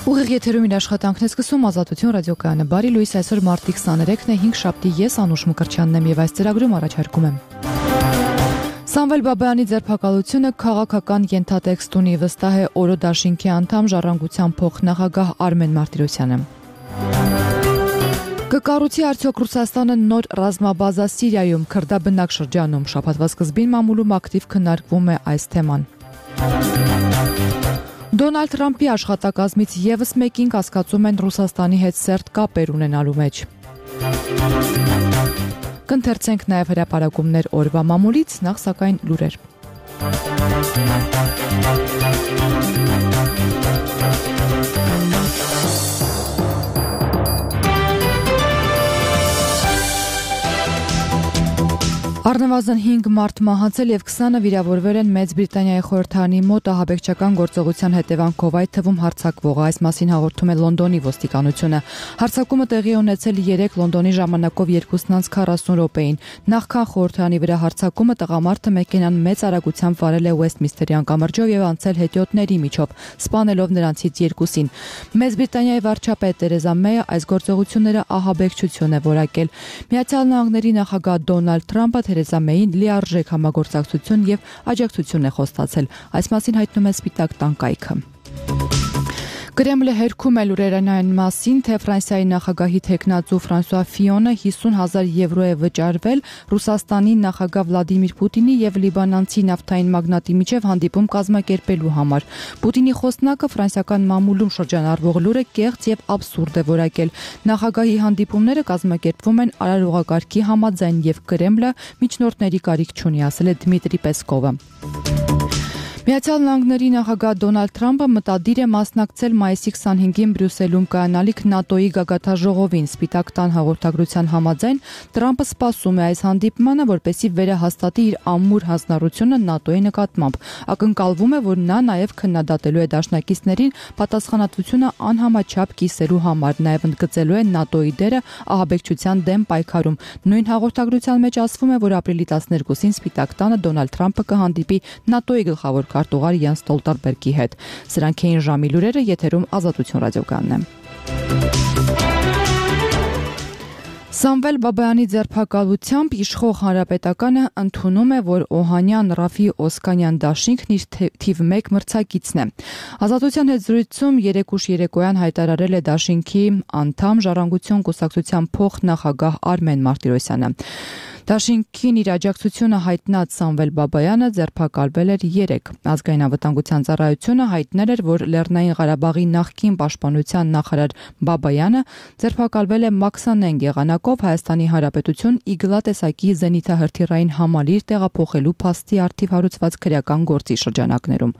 Ուղիղ եթերում իր աշխատանքն է սկսում Ազատություն ռադիոկայանը։ Բարի լույս, այսօր մարտի 23-ն է, 5 շաբթի, ես Անուշ Մկրտչյանն եմ եւ այս ծրագրում առաջարկում եմ Սամվել Բաբայանի ձերբակալությունը քաղաքական ենթատեքստ ունի, վստահ է Օրո դաշինքի անդամ Ժառանգության փոխնախագահ Արմեն Մարտիրոսյանը։ Կկառուցի արդյոք Ռուսաստանը նոր ռազմաբազա Սիրիայում, քրդաբնակ շրջանում, շաբաթվա սկզբին մամուլում ակտիվ քննարկվում է այս թեման։ Դոնալդ Թրամփի աշխատակազմից եւս մեկին կասկածում են Ռուսաստանի հետ սերտ կապեր ունենալու մեջ։ Կընթերցենք նաեւ հրապարակումներ օրվա մամուլից, նախ սակայն լուրեր։ Առնվազն 5 մարդ մահացել եւ 20-ը վիրավորվել են Մեծ Բրիտանիայի խորհրդարանի մոտ ահաբեկչական գործողության հետևանքով, այդ թվում հարձակվողը, այս մասին հաղորդում է Լոնդոնի ոստիկանությունը։ Հարձակումը տեղի ունեցել 3 Լոնդոնի ժամանակով 2:40 րոպեին։ Նախքան խորհրդարանի վրա հարձակումը տղամարդը մեքենան մեծ արագությամբ վարել է Ուեստմինստերի անկամրջով եւ անցել հետիոտների միջով, սպանելով նրանցից 2-ին։ Մեծ Բրիտանիայի վարչապետ Թերեզա Մեյը այս գործողությունները ահաբեկչություն է որակել։ Միացյալ Նահանգների նախագահ Դոնալդ Թրամփը Թերեզա Մեյին լիարժեք համագործակցություն եւ աջակցություն է խոստացել։ Այս մասին հայտնում է Սպիտակ տան կայքը։ Կրեմլը հերքում է լուրերն այն մասին, թե Ֆրանսիայի նախագահի թեկնածու Ֆրանսուଆ Ֆիոնը 50,000 եվրո է վճարվել Ռուսաստանի նախագահ Վլադիմիր Պուտինի եւ լիբանանցի նավթային մագնատի միջև հանդիպում կազմակերպելու համար։ Պուտինի խոսնակը ֆրանսիական մամուլում շրջանառվող լուրը կեղծ եւ աբսուրդ է որակել։ Նախագահի հանդիպումները կազմակերպվում են արարողակարգի համաձայն եւ Կրեմլը միջնորդների կարիք չունի, ասել է Դմիտրի Պեսկովը։ Միացյալ Նահանգների նախագահ Դոնալդ Թրամփը մտադիր է մասնակցել մայիսի 25-ին Բրյուսելում կայանալիք ՆԱՏՕ-ի գագաթնաժողովին։ Սպիտակ տան հաղորդագրության համաձայն Թրամփը սպասում է այս հանդիպմանը, որպեսզի վերահաստատի իր ամուր հանձնառությունը ՆԱՏՕ-ի նկատմամբ։ Ակնկալվում է, որ նա նաև քննադատելու է դաշնակիցներին պատասխանատվությունը անհամաչափ կիսելու համար, նաև ընդգծելու է ՆԱՏՕ-ի դերը ահաբեկչության դեմ պայքարում։ Նույն հաղորդագրության մեջ ասվում է, որ ապրիլի 12-ին Սպիտակ տանը Դոնալդ Թրամփը կհանդիպի ՆԱՏՕ-ի գլխավոր քարտուղար Յանս Ստոլտենբերգի հետ։ Սրանք էին ժամի լուրերը, եթերում Ազատություն ռադիոկայանն է։ Սամվել Բաբայանի ձերբակալությամբ իշխող հանրապետականը ընդունում է, որ Օհանյան Ռաֆի Օսկանյան դաշինքն իր թիվ 1 մրցակիցն է։ Ազատության հետ զրույցում երեկուշ երեկոյան հայտարարել է դաշինքի անդամ Ժառանգություն կուսակցության փոխնախագահ Արմեն Մարտիրոսյանը։ Դաշինքին իր աջակցությունը հայտնած Սամվել Բաբայանը ձերբակալվել էր 3։ Ազգային անվտանգության ծառայությունը հայտնել էր, որ Լեռնային Ղարաբաղի նախկին պաշտպանության նախարար Բաբայանը ձերբակալվել է մաքսանենգ եղանակով Հայաստանի Հանրապետություն Իգլա տեսակի զենիթահրթիռային համալիր տեղափոխելու փաստի արդիվ հարուցված քրեական գործի շրջանակներում։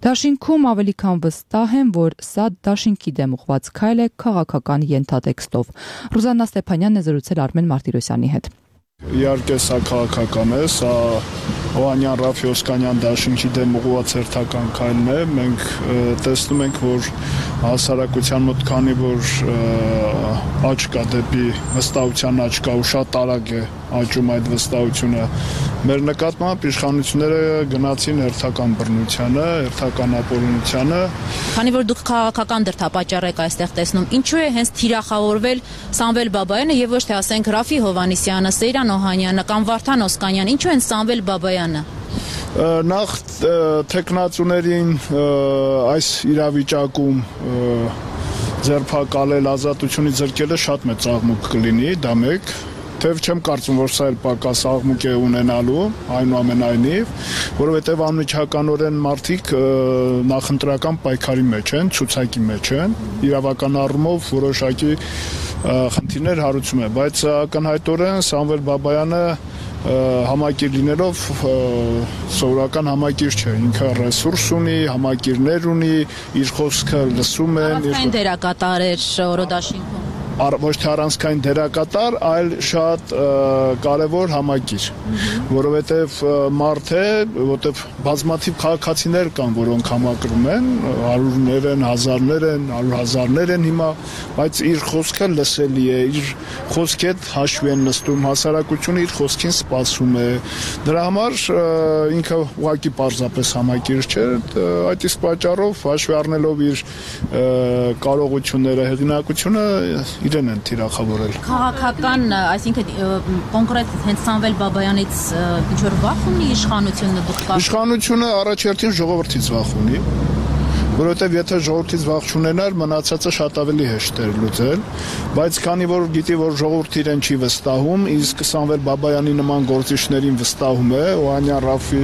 Դաշինքում ավելի քան վստահ են, որ սա դաշինքի դեմ ուղղված քայլ է քաղաքական ենթատեքստով։ Ռուզաննա Ստեփանյանն է զրուցել Արմեն Մարտիրոսյանի հետ։ Իհարկե սա քաղաքական է, սա Օհանյան Ռաֆի Օսկանյան դաշինքի դեմ ուղղված հերթական քայլն է։ Մենք տեսնում ենք, որ հասարակության մոտ քանի որ աճ կա դեպի վստահության աճ կա ու շատ արագ է աճում այդ վստահությունը, մեր նկատմամբ իշխանությունները գնացին հերթական բռնությանը, հերթական ապօրինությանը։ Քանի որ դուք քաղաքական դրդապատճառ եք այստեղ տեսնում, ինչու է հենց թիրախավորվել Սամվել Բաբայանը եւ ոչ թե ասենք Ռաֆի Հովհաննիսյանը, Սեյրան Օհանյանը կամ Վարդան Օսկանյան, ինչու են Սամվել Բաբայանը։ Նախ թեկնածուներին այս իրավիճակում ձերբակալել, ազատությունից զրկելը շատ մեծ աղմուկ կլինի, դա մեկ։ Թեև չեմ կարծում, որ սա էլ պակաս աղմուկ է ունենալու, այնուամենայնիվ, որովհետև անմիջականորեն մարդիկ նախընտրական պայքարի մեջ են, ցուցակի մեջ են, իրավական առումով որոշակի խնդիրներ հարուցում է, բայց ակնհայտորեն Սամվել Բաբայանը համակիր լինելով սովորական համակիր չէ, ինքը ռեսուրս ունի, համակիրներ ունի, իր խոսքը լսում են։ Առանցքային դերակատար էր Օրո դաշինքում։ ոչ թե առանցքային դերակատար, այլ շատ կարևոր համակիր, որովհետև մարդ է, որովհետև բազմաթիվ քաղաքացիներ կան, որոնք համակրում են, հարյուրներ են, հազարներ են, 100,000-ներ են հիմա, բայց իր խոսքը լսելի է, իր խոսքի հետ հաշվի են նստում, հասարակությունը իր խոսքին սպասում է։ Դրա համար ինքը ուղղակի պարզապես համակիր չէ, այդ իսկ պատճառով հաշվի առնելով իր կարողությունները, հեղինակությունը իրեն են թիրախավորել։ Քաղաքական, այսինքն կոնկրետ հենց Սամվել Բաբայանից ինչ-որ վախ ունի իշխանությունը դուք կա։ Իշխանությունը առաջերտին ժողովրդից վախ ունի, որովհետև եթե ժողովրդից վախ չունենար, մնացածը շատ ավելի հեշտ էր լուծել, բայց քանի որ գիտի, որ ժողովուրդը իրեն չի վստահում, իսկ Սամվել Բաբայանի նման գործիչներին վստահում է, Օհանյան Ռաֆի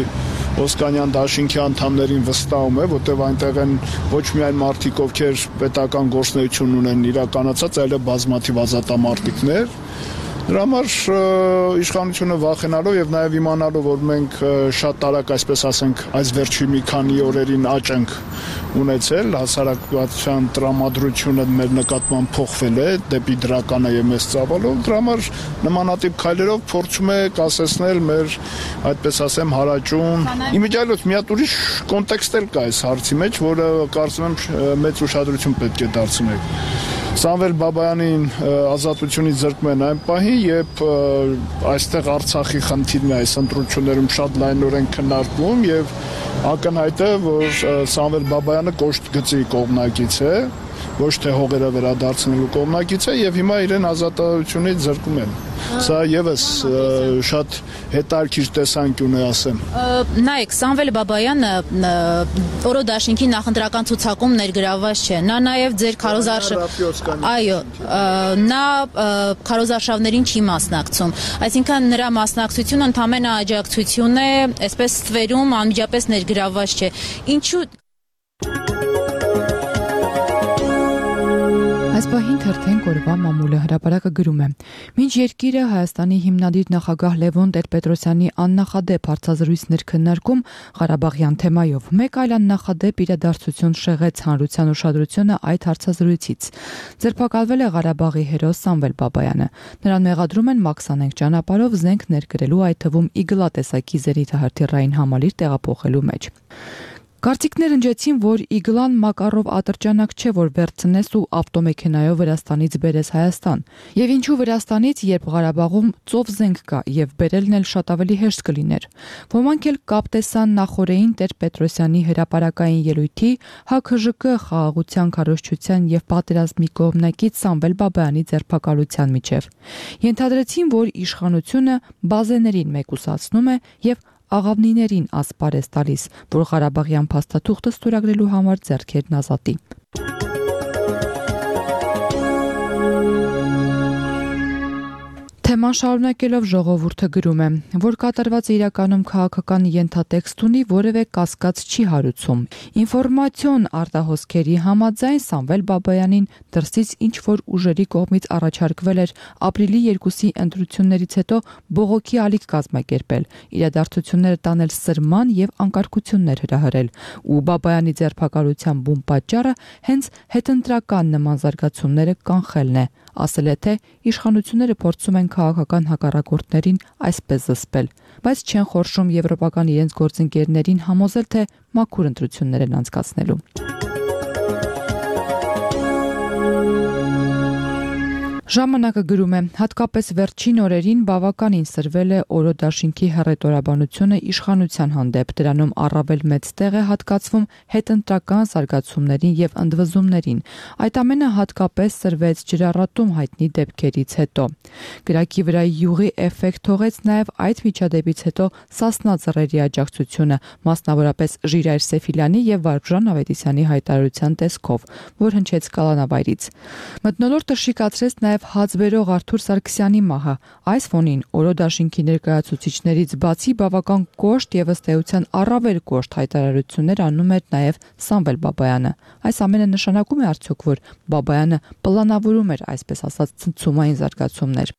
Օսկանյան դաշինքի անդամներին վստահում է, որտեղ այնտեղ են ոչ միայն մարդիկ, ովքեր պետական գործունեություն ունեն իրականացած, այլև բազմաթիվ ազատամարտիկներ։ Դրա համար իշխանությունը վախենալով եւ նաեւ իմանալով, որ մենք շատ տարակ, այսպես ասենք, այս վերջի մի քանի օրերին աճ ենք ունեցել, հասարակության տրամադրությունը մեր նկատմամբ փոխվել է դեպի դրականը եւ մեծ ծավալով, դրա համար նմանատիպ քայլերով փորձում է կասեցնել մեր, այդպես ասեմ, հարաճուն։ Իմիջիայլոց մի հատ ուրիշ կոնտեքստ էլ կա այս հարցի մեջ, որը կարծում եմ մեծ ուշադրություն պետք է դարձնենք։ Սամվել Բաբայանին ազատությունից զրկում են այն պահին, երբ այստեղ Արցախի խնդիրն է այս ընտրություններում շատ լայնորեն քննարկվում եւ ակնհայտ է, որ Սամվել Բաբայանը կոշտ գծի կողմնակից է, ոչ թե հողերը վերադարձնելու կողմնակից է եւ հիմա իրեն ազատությունից զրկում են։ Սա եւս շատ հետաքրքիր տեսանկյուն է, ասեմ։ Նայեք, Սամվել Բաբայանը Օրո դաշինքի նախընտրական ցուցակում ներգրավված չէ։ Նա նաեւ ձեր նա քարոզարշավներին չի մասնակցում։ Այսինքն նրա մասնակցությունը ընդհանրապես աջակցություն է, այսպես ստվերում անմիջապես ներգրավված չէ։ Ինչու Այս պահին թերթենք օրվա մամուլը հրապարակը գրում է. Մինչ երկիրը Հայաստանի հիմնադիր նախագահ Լևոն Տեր-Պետրոսյանի աննախադեպ հարցազրույցներ քննարկում Ղարաբաղյան թեմայով, մեկ այլ աննախադեպ իրադարձություն շեղեց հանրության ուշադրությունը այդ հարցազրույցից։ Ձերբակալվել է Ղարաբաղի հերոս Սամվել Բաբայանը։ Նրան մեղադրում են մաքսանենգ ճանապարհով զենք ներկրելու, այդ թվում իգլա տեսակի զենիթահրթիռային համալիր տեղափոխելու մեջ։ Կարծիքներ ընջեցին, որ իգլան Մակարով ատրճանակ չէ, որ վերցնես ու ավտոմեքենայով Վրաստանից բերես Հայաստան։ Եվ ինչու Վրաստանից, երբ Ղարաբաղում ծով զենք կա եւ բերելն էլ շատ ավելի հեշտ կլիներ։ Ոմանք էլ կապ տեսան նախորդային Տեր-Պետրոսյանի հրապարակային ելույթի ՀՔԺԿ խաղաղության քարոզչության եւ պատերազմի կողմնակից Սամվել Բաբայանի ձերբակալության միջև։ Ենթադրեցին, որ իշխանությունը բազեներին մեկուսացնում է եւ աղավնիներին ասպարեզ տալիս, որ Ղարաբաղյան փաստաթուղթը ստորագրելու համար ձեռքերն ազատի։ Թեման շարունակելով ժողովուրդը գրում է, որ կատարվածը իրականում քաղաքական ենթատեքստ ունի, որևէ կասկած չի հարուցում։ Ինֆորմացիոն արտահոսքերի համաձայն Սամվել Բաբայանին դրսից ինչ-որ ուժերի կողմից առաջարկվել էր ապրիլի 2-ի ընտրություններից հետո բողոքի ալիք կազմակերպել, իրադարձությունները տանել սրման եւ անկարգություններ հրահրել, ու Բաբայանի ձերբակալության բուն պատճառը հենց հետընտրական նման զարգացումները կանխելն է, ասել է, թե իշխանությունները փորձում են քաղաքական հակառակորդներին այսպես զսպել, բայց չեն խորշում եվրոպական իրենց գործընկերներին համոզել, թե մաքուր ընտրություններ են անցկացնելու։ Ժամանակը գրում է, հատկապես վերջին օրերին բավականին սրվել է Օրո դաշինքի հռետորաբանությունը իշխանության հանդեպ, դրանում առավել մեծ տեղ է հատկացվում հետընտրական զարգացումներին եւ ընդվզումներին։ Այդ ամենը հատկապես սրվեց ջրառատում հայտնի դեպքերից հետո։ Գրակի վրա յուղի էֆեկտ թողեց նաեւ այդ միջադեպից հետո Սասնա ծռերի աջակցությունը, մասնավորապես Ժիրայր Սեֆիլյանի եւ Վարդժան Ավետիսյանի հայտարարության տեսքով, որ հնչեց կալանավայրից։ Մթնոլորտը շիկացրեց նաեւ հացբերող Արթուր Սարգսյանի մահը։ Այս ֆոնին Օրո դաշինքի ներկայացուցիչներից բացի բավական կոշտ եւ ըստ էության առավել կոշտ հայտարարություններ անում էր նաեւ Սամվել Բաբայանը։ Այս ամենը նշանակում է արդյոք, որ Բաբայանը պլանավորում էր, այսպես ասած, ցնցումային զարգացումներ։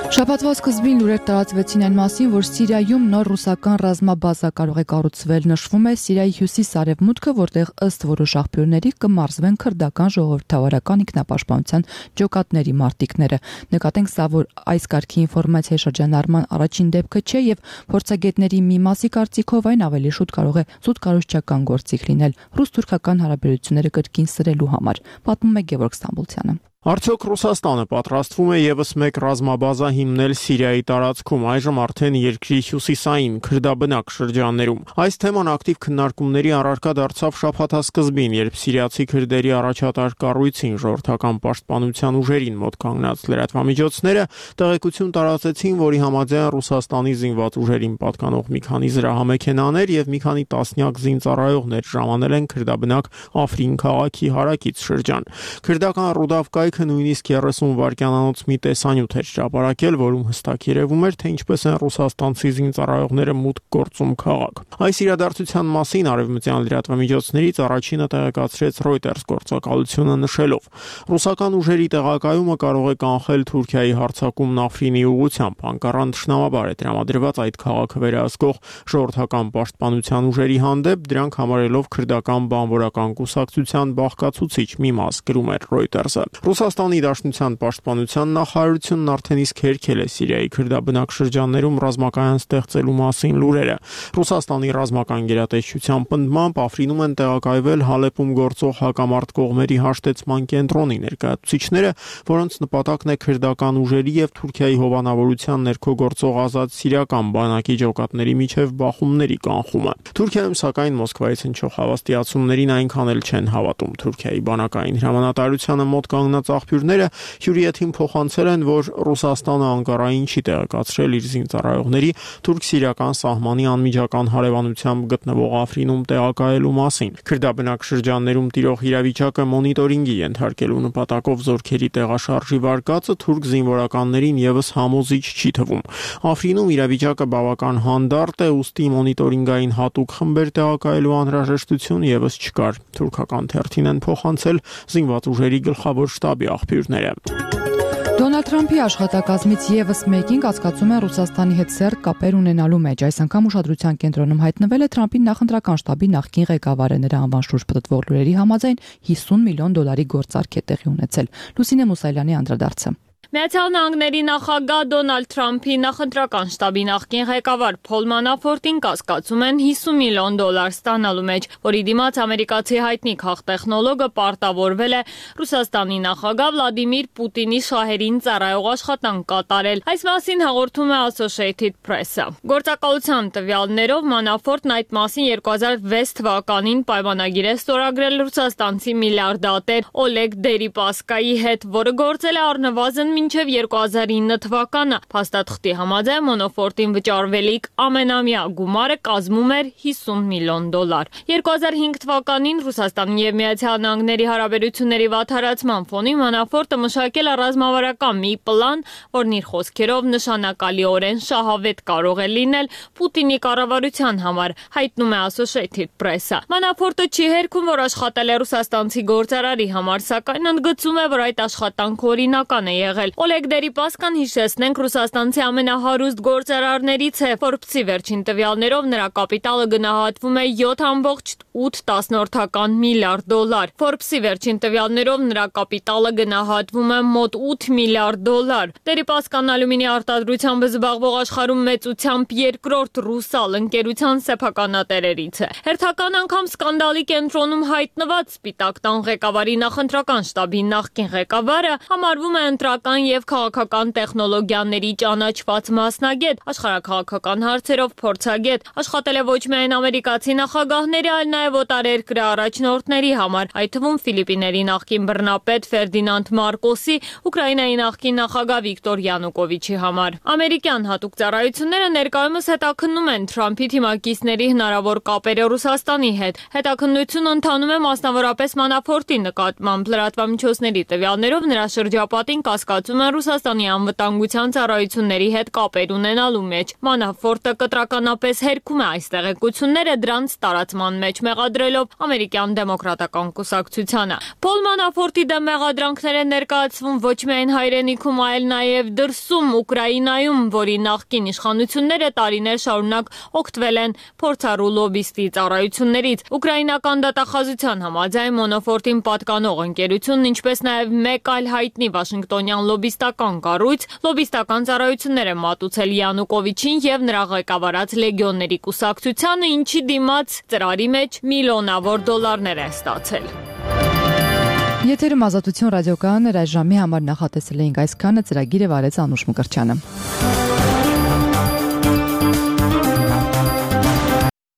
Շաբաթվա սկզբին լուրեր տարածվեցին այն մասին, որ Սիրիայում նոր ռուսական ռազմաբազա կարող է կառուցվել։ Նշվում է Սիրիայի հյուսիս-արևմուտքը, որտեղ ըստ որոշ աղբյուրների կմարզվեն քրդական ժողովրդավարական ինքնապաշտպանության ջոկատների մարտիկները։ Նկատենք սա, որ այս կարգի ինֆորմացիայի շրջանառման առաջին դեպքը չէ եւ փորձագետների մի մասի կարծիքով այն ավելի շուտ կարող է զուտ կառուցչական գործիք լինել ռուս-թուրքական հարաբերությունները կրկին սրելու համար, պատմում է Գևորգ Ստամբուլցյանը։ Արդյոք Ռուսաստանը պատրաստվում է եւս մեկ ռազմաբազա հիմնել Սիրիայի տարածքում, այժմ արդեն երկրի հյուսիսային քրդաբնակ շրջաններում։ Այս թեման ակտիվ քննարկումների առարկա դարձավ շաբաթասկզբին, երբ սիրիացի քրդերի առաջատար կառույցին ժողովրդական պաշտպանության ուժերին մոտ կանգնած լրատվամիջոցները տեղեկություն տարածեցին, որի համաձայն Ռուսաստանի զինված ուժերին պատկանող մի քանի զրահամեքենաներ եւ մի քանի տասնյակ զինծառայողներ ժամանել են քրդաբնակ Աֆրին քաղաքի հարակից շրջան։ Քրդական Ռուդավկայի նույնիսկ 30 վայրկյանանոց մի տեսանյութ էր հրապարակել, որում հստակ երևում էր, թե ինչպես են ռուսաստանցի զինծառայողները մուտք գործում քաղաք։ Այս իրադարձության մասին արևմտյան լրատվամիջոցներից առաջինը տեղեկացրեց Reuters գործակալությունը նշելով. ռուսական ուժերի տեղակայումը կարող է կանխել Թուրքիայի հարձակումն Աֆրինի ուղղությամբ, անկառան թշնամաբար է տրամադրված այդ քաղաքը վերահսկող ժողովրդական պաշտպանության ուժերի հանդեպ, դրանք համարելով քրդական բանվորական կուսակցության բաղկացուցիչ մի մաս, գրում էր Reuters-ը։ Ռուսաստանի Դաշնության պաշտպանության նախարարությունն արդեն իսկ հերքել է Սիրիայի քրդաբնակ շրջաններում ռազմակայան ստեղծելու մասին լուրերը։ Ռուսաստանի ռազմական գերատեսչության պնդմամբ Աֆրինում են տեղակայվել Հալեպում գործող հակամարտ կողմերի հաշտեցման կենտրոնի ներկայացուցիչները, որոնց նպատակն է քրդական ուժերի եւ Թուրքիայի հովանավորության ներքո գործող ազատ սիրիական բանակի ջոկատների միջև բախումների կանխումը։ Թուրքիայում սակայն Մոսկվայից հնչող հավաստիացումներին այնքան էլ չեն հավատում Թուրքիայի բանակային հրամանատարությանը մոտ կանգնած աղբյուրները հյուրիեթին փոխանցել են, որ Ռուսաստանը Անկարային չի տեղեկացրել իր զինծառայողների թուրք-սիրիական սահմանի անմիջական հարևանությամբ գտնվող Աֆրինում տեղակայելու մասին։ Քրդաբնակ շրջաններում տիրող իրավիճակը մոնիտորինգի ենթարկելու նպատակով զորքերի տեղաշարժի վարկածը թուրք զինվորականներին եւս համոզիչ չի թվում։ Աֆրինում իրավիճակը բավական հանդարտ է, ուստի մոնիտորինգային հատուկ խմբեր տեղակայելու անհրաժեշտություն եւս չկար։ Թուրքական թերթին են փոխանցել զինված ուժերի գլխավոր շտաբի աղբյուրները։ Դոնալդ Թրամփի աշխատակազմից եւս մեկին կասկածում են Ռուսաստանի հետ սերտ կապեր ունենալու մեջ։ Այս անգամ ուշադրության կենտրոնում հայտնվել է Թրամփի նախընտրական շտաբի նախկին ղեկավարը, նրա անվան շուրջ պտտվող լուրերի համաձայն $50 միլիոն գործարք է տեղի ունեցել։ Լուսինե Մուսայելյանի անդրադարձը։ Միացյալ Նահանգների նախագահ Դոնալդ Թրամփի նախընտրական շտաբի նախկին ղեկավար Փոլ Մանաֆորտին կասկածում են $50 միլիոն ստանալու մեջ, որի դիմաց ամերիկացի հայտնի քաղտեխնոլոգը պարտավորվել է Ռուսաստանի նախագահ Վլադիմիր Պուտինի շահերին ծառայող աշխատանք կատարել։ Այս մասին հաղորդում է Associated Press-ը։ Գործակալության տվյալներով Մանաֆորտն այդ մասին 2006 թվականին պայմանագիր է ստորագրել ռուսաստանցի միլիարդատեր Օլեգ Դերիպասկայի հետ, որը գործել է առնվազն մինչև 2009 թվականը։ Փաստաթղթի համաձայն Մանաֆորտին վճարվելիք ամենամյա գումարը կազմում էր $50 միլիոն։ 2005 թվականին Ռուսաստանի եւ Միացյալ Նահանգների հարաբերությունների վատթարացման ֆոնին Մանաֆորտը մշակել է ռազմավարական մի պլան, որն իր խոսքերով նշանակալիորեն շահավետ կարող է լինել Պուտինի կառավարության համար, հայտնում է Associated Press-ը։ Մանաֆորտը չի հերքում, որ աշխատել է ռուսաստանցի գործարարի համար, սակայն ընդգծում է, որ այդ աշխատանքը օրինական է եղել։ Օլեգ Դերիպասկան, հիշեցնենք, ռուսաստանցի ամենահարուստ գործարարներից է։ Forbes-ի վերջին տվյալներով նրա կապիտալը գնահատվում է $7.8 միլիարդ։ Forbes-ի վերջին տվյալներով նրա կապիտալը գնահատվում է մոտ $8 միլիարդ։ Դերիպասկան ալյումինի արտադրությամբ զբաղվող աշխարհում մեծությամբ երկրորդ ռուսալ ընկերության սեփականատերերից է։ Հերթական անգամ սկանդալի կենտրոնում հայտնված Սպիտակ տան ղեկավարի նախընտրական շտաբի նախկին ղեկավարը համարվում է ընտրական եւ քաղաքական տեխնոլոգիաների ճանաչված մասնագետ, աշխարհաքաղաքական հարցերով փորձագետ, աշխատել է ոչ միայն ամերիկացի նախագահների, այլ նաեւ օտարերկրյա առաջնորդների համար, այդ թվում Ֆիլիպիների նախկին բռնապետ Ֆերդինանդ Մարկոսի, Ուկրաինայի նախկին նախագահ Վիկտոր Յանուկովիչի համար։ Ամերիկյան հատուկ ծառայությունները ներկայումս հետաքննում են Թրամփի թիմակիցների հնարավոր կապերը Ռուսաստանի հետ։ Հետաքննությունը ընթանում է մասնավորապես Մանաֆորտի նկատմամբ։ Լրատվամիջոցների տվյալներով նրա շրջապատին կասկածում մրցակցում են Ռուսաստանի անվտանգության ծառայությունների հետ կապեր ունենալու մեջ։ Մանաֆորտը կտրականապես հերքում է այս տեղեկությունները, դրանց տարածման մեջ մեղադրելով ամերիկյան դեմոկրատական կուսակցությանը։ Փոլ Մանաֆորտի դեմ մեղադրանքներ են ներկայացվում ոչ միայն հայրենիքում, այլ նաև դրսում Ուկրաինայում, որի նախկին իշխանությունները տարիներ շարունակ օգտվել են փորձառու լոբիստի ծառայություններից։ Ուկրաինական դատախազության համաձայն Մանաֆորտին պատկանող ընկերությունն, ինչպես նաև մեկ այլ հայտնի վաշինգտոնյան լոբիստական կառույց, լոբիստական ծառայություններ են մատուցել Յանուկովիչին եւ նրա ղեկավարած լեգիոնների կուսակցությանը, ինչի դիմաց ծրարի մեջ միլիոնավոր դոլարներ է ստացել։ Եթերում Ազատություն ռադիոկայանն էր, այս ժամի համար նախատեսել էինք այսքանը, ծրագիրը վարեց Անուշ Մկրտչյանը։